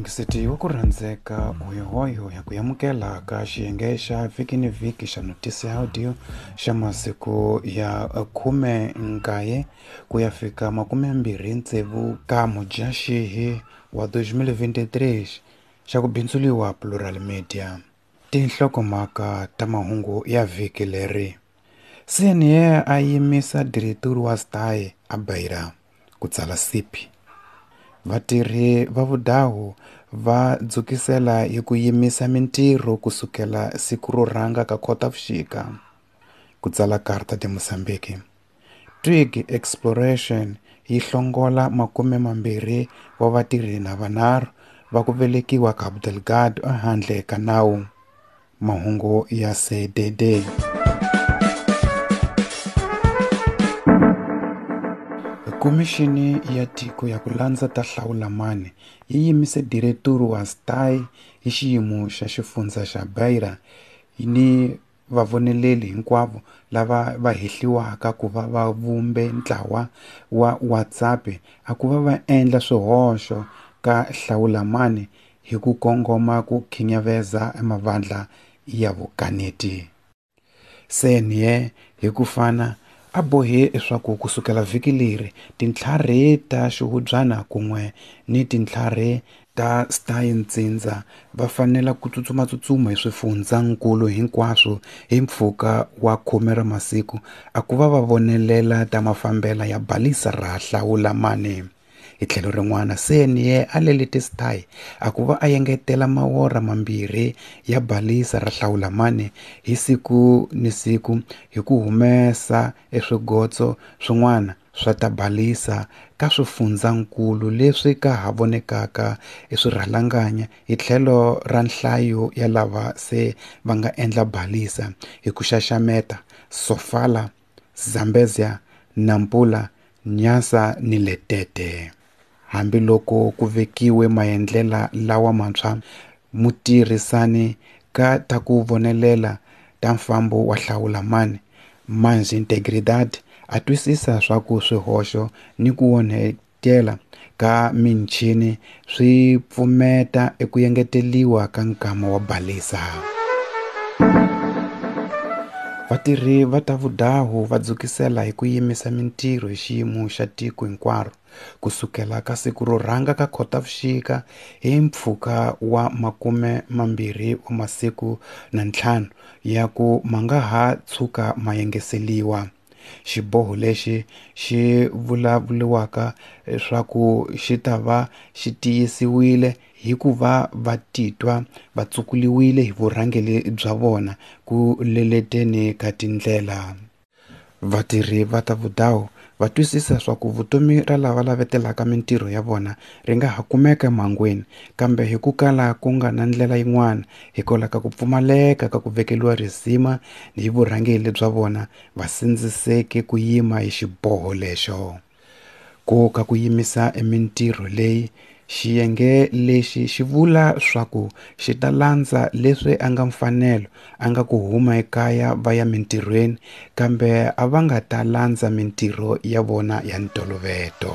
Muyingiseti wa ku rhandzeka hoyohoyo ya ku amukela ka xiyenge xa vhiki ni vhiki xa Notisi Audio xa masiku ya 19 ku ya fika 26 ka Mudyaxihi wa 2023 xa ku bindzuliwa Plural Media. Tinhlokomhaka ta mahungu ya vhiki leri. CNA a yimisa direturi wa STAE a Beira, ku tsala Sipi. Vatirhi va vudahu va dzukisela hi ku yimisa mintirho kusukela siku ro rhanga ka Khotavuxika, ku tsala Carta de Mozambique. Twig Exploration yi hlongola 20 wa vatirhi na vanharhu va ku velekiwa Cabo Delgado ehandle ka nawu. Mahungu ya CDD. Khomixini ya Tiko ya ku landza ta Hlawulamani yi yimise direturi wa STAE hi xiyimo xa xifundza xa Beira ni vavoneleli hinkwavo lava va hehliwaka ku va va vumbe ntlawa wa WhatsApp a ku va va endla swihoxo ka Hlawulamani hi ku kongoma ku khinyaveza mavandla ya vukaneti. CNA hi ku fana a bohe leswaku kusukela vhiki leri tintlhari ta xihubyana kun'we ni tintlhari ta STAE Ntsindza va fanela ku tsutsumatsutsuma hi swifundzankulu hinkwaswo hi mpfhuka wa 10 ra masiku a ku va va vonelela ta mafambela ya balisa ra Hlawulamani. Hi tlhelo rin'wana, CNA a lelete STAE a ku va a engetela mawora 2 ya balisa ra Hlawulamani hi siku ni siku hi ku humesa eswigotso swin'wana swa ta balisa ka swifundzankulu leswi ka ha vonekaka eswirhalanganya hi tlhelo ra nhlayo ya lava se va nga endla balisa hi ku xaxameta Sofala, Zambezia, Nampula, Nyasa ni Letete. Hambiloko ku vekiwe maendlela lawa mantshwa, mutirhisani ka ta ku vonelela ta mfambo wa Hlawulamani, Mais Integridade, a twisisa swa ku swihoxo ni ku onhetela ka michini swi pfumeta eku engeteliwa ka nkama wa balisa. Vatirhi va ta vudahu va dzukisela hi ku yimisa mintirho hi xiyimo xa tiko hinkwaro kusukela ka siku ro rhanga ka Khotavuxika hi mpfhuka wa 25 wa masiku na 5 ya ku ma nga ha tshuka ma yengeseliwa. Xiboho lexi xi vulavuriwaka leswaku xi ta va xi tiyisiwile hi ku va va titwa va tsukuliwile hi vurhangeri bya vona ku leleteni ka tindlela. Vatirhi va ta vudahu va twisisa swa ku vutomi ra lava lavetelaka mintirho ya vona ri nga ha kumeka emhangwini, kambe hi ku kala ku nga na ndlela yin'wana hikwalaho ka ku pfumaleka ka ku vekeliwa risima hi vurhangeri bya vona va sindziseke ku yima hi xiboho lexo. Ku ka ku yimisa mintirho leyi, xiyenge lexi xi vula swa ku xi ta landza leswi a nga mfanelo a nga ku huma ekaya va ya mintirhweni, kambe a va nga ta landza mintirho ya vona ya ntolovelo.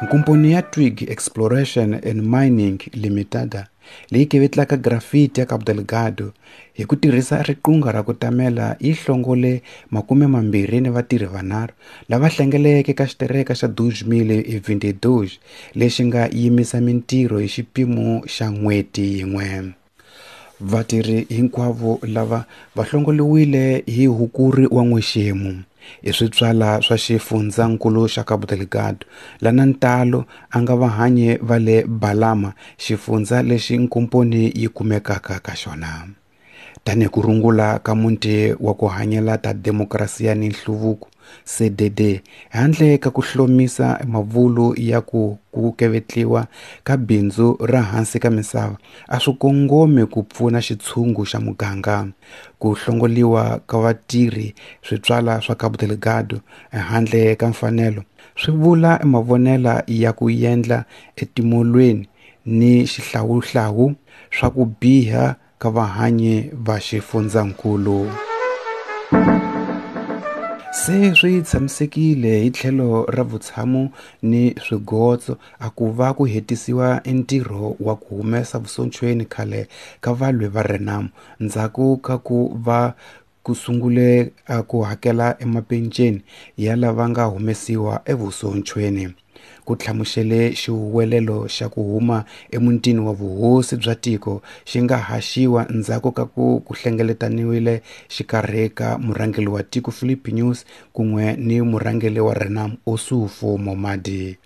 Nkomponi ya Twig Exploration and Mining Limited leyi kevetlaka grafiti ya Cabo Delgado hi ku tirhisa riqingho ra ku tamela yi hlongole 20 ni vatirhi vanharhu lava hlengeleke ka xitereka xa 2022 lexi nga yimisa mintirho hi xipimo xa n'hweti yin'we. Vatirhi hinkwavo lava va hlongoliwile hi Hukuri wa n'wexemu i switswala swa xifundzankulu xa Cabo Delgado lana ntalo a nga vahanyi va le Balama, xifundza lexi nkomponi yi kumekaka ka xona. Tanihi ku rungula ka muti wa ku hanyela ta demokrasiya ni nhluvuko CDD, handle ka ku hlomisa mavulu ya ku kevetliwa ka bindzu ra hansi ka misava a swi kongomi ku pfuna xitshungu xa muganga. Ku hlongoliwa ka vatirhi switswala swa Cabo Delgado handle ka mfanelo swi vula mavonela ya ku endla etimolweni ni xihlawuhlawu swa ku biha ka vahanyi va xifundzankulu. Se swi tshamisekile hi tlhelo ra vutshamo ni swigotso a ku va ku hetisiwa ntirho wa ku humesa vusonchweni khale ka valwi va Renamo ndzhaku ka ku va ku sungule ku hakela emapenceni ya lava nga humesiwa evusonchweni. Ku hlamusele xihuwelelo xa ku huma emutini wa vuhosi bya tiko xi nga haxiwa ndzhaku ka ku hlengeletaniwile xikarhi ka murhangeri wa tiko Filipe Nyusi kun'we ni murhangeri wa Renamo Ossufo Momade.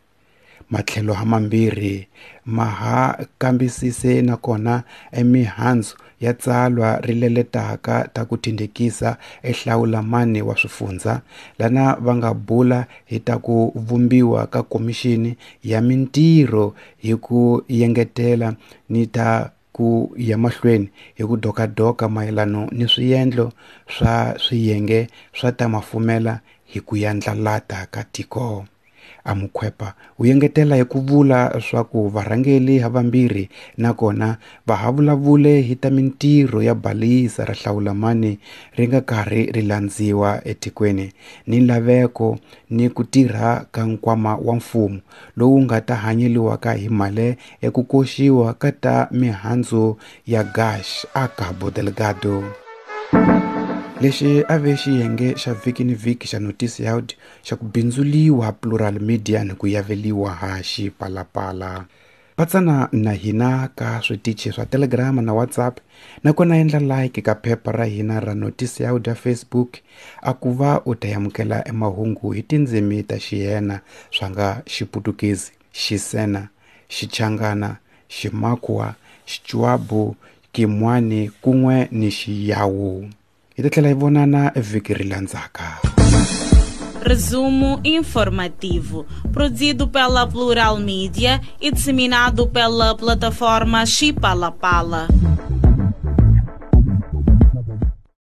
Matlhelo hamambirhi ma ha kambisise nakona emihandzu ya tsalwa ri leletaka ta ku tindekisa ehlawulamani wa swifundzha lana va nga bula hi ta ku vumbiwa ka komixini ya mintirho hi ku yengetela ni ta ku ya mahlweni hi ku dokadoka mayelano ni swiendlo swa swiyenge swa ta mafumela hi ku yandlalata ka tiko. Amukhwepa u yengetela hi ku vula swa ku varhangeri havambirhi nakona va ha vulavule hi ta mintirho ya balisa ra hlawulamani ri nga karhi ri landziwa etikweni ni laveko ni ku tirha ka nkwama wa mfumo lowu nga ta hanyeliwaka hi mali eku koxiwa ka ta mihandzu ya gash a Cabo Delgado. Lexi a ve xiyenge xa vhiki ni vhiki xa Notice Yaud xa ku bindzuliwa Plural Media ni ku yaveliwa ha Xipalapala. Patsana na hina ka switichi swa Telegram na WhatsApp nakona endla like ka phepha ra hina ra Notice Yaud ya Facebook a ku va u ta amukela emahungu hi tindzimi ta xiyena swa nga Xiputukezi, Xisena, Xichangana, Ximakwa, Xichuabu, Kimwani kun'we ni Xiyawu. Hi ta tlhela hi vonana vhiki ri landzaka. Resumo informativo, produzido pela Plural Mídia e disseminado pela plataforma Xipalapala.